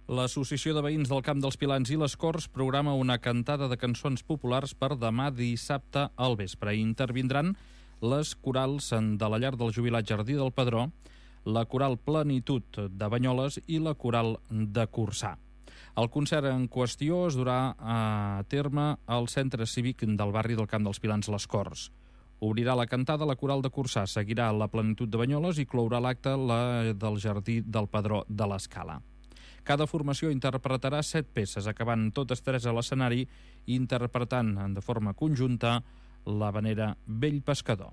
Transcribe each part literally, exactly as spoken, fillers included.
L'Associació de Veïns del Camp dels Pilans i les Corts programa una cantada de cançons populars per demà dissabte al vespre. Intervindran les corals de la Llar del Jubilat Jardí del Pedró, la coral Plenitud de Banyoles i la coral de Corçà. El concert en qüestió es durà a terme al centre cívic del barri del Camp dels Pilans les Corts. Obrirà la cantada la coral de Corçà, seguirà la Plenitud de Banyoles i clourà l'acte la del Jardí del Pedró de l'Escala. Cada formació interpretarà set peces, acabant totes tres a l'escenari, interpretant de forma conjunta l'havanera Vell Pescador.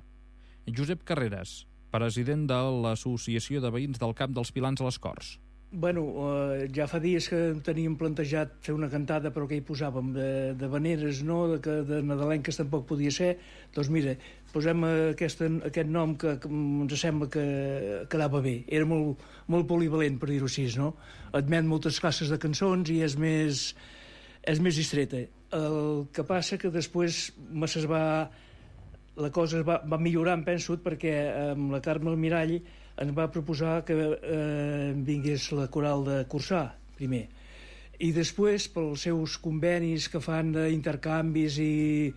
Josep Carreras, president de l'Associació de Veïns del Camp dels Pilans a les Corts. Bueno, eh, ja fa dies que teníem plantejat fer una cantada, però que hi posàvem de, de veneres, no? de, que, de nadalenques tampoc podia ser. Doncs mira, posem aquest, aquest nom que, que ens sembla que quedava bé. Era molt, molt polivalent, per dir-ho així, no? Admet moltes classes de cançons i és més, és més distreta. El que passa que després es va, la cosa es va, va millorar, em penso, perquè amb la Carme Almirall ens va proposar que eh, vingués la coral de Corçà, primer. I després, pels seus convenis que fan d'intercanvis i,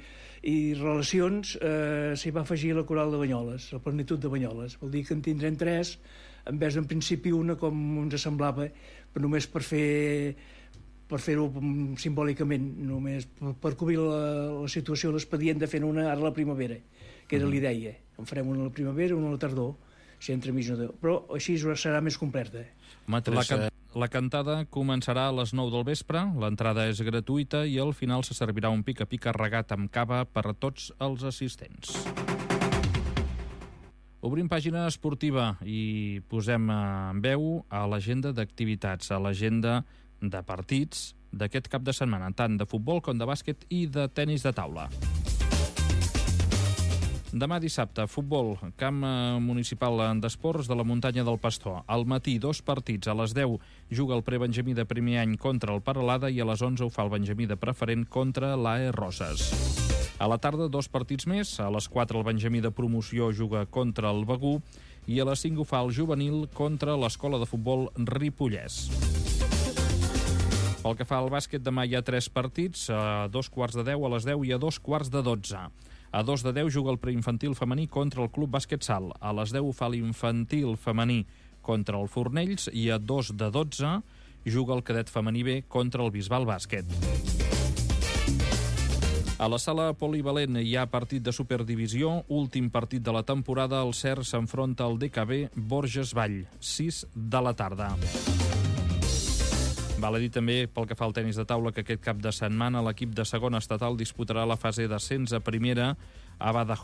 i relacions, eh, s'hi va afegir la coral de Banyoles, la Plenitud de Banyoles. Vol dir que en tindrem tres, en vez en principi una, com ens semblava, però només per fer per fer-ho simbòlicament, només per, per cobrir la, la situació, l'expedient de fer una ara a la primavera, que era l'idea. En farem una a la primavera, una a la tardor, si entre mig no deu. Però així serà més completa. La, can la cantada començarà a les nou del vespre, l'entrada és gratuïta i al final se servirà un pica-pica regat amb cava per a tots els assistents. Obrim pàgina esportiva i posem en veu a l'agenda d'activitats, a l'agenda de partits d'aquest cap de setmana, tant de futbol com de bàsquet i de tenis de taula. Demà dissabte, futbol, camp municipal d'esports de la muntanya del Pastor. Al matí, dos partits. A les deu juga el prebenjamí de primer any contra el Paralada i a les onze ho fa el benjamí de preferent contra l'A E Roses. A la tarda, dos partits més. A les quatre el benjamí de promoció juga contra el Begú i a les cinc ho fa el juvenil contra l'escola de futbol Ripollès. Pel que fa al bàsquet, demà hi ha tres partits, a dos quarts de deu, a les deu i a dos quarts de dotze. A dos de deu juga el preinfantil femení contra el Club Bàsquet Sal. A les deu fa l'infantil femení contra el Fornells i a dos de dotze juga el cadet femení B contra el Bisbal Bàsquet. A la sala polivalent hi ha partit de Superdivisió, últim partit de la temporada. El Cer s'enfronta al D K B Borges Vall, sis de la tarda. Val a dir també, pel que fa al tenis de taula, que aquest cap de setmana l'equip de segona estatal disputarà la fase d'ascens a primera a Badajoz.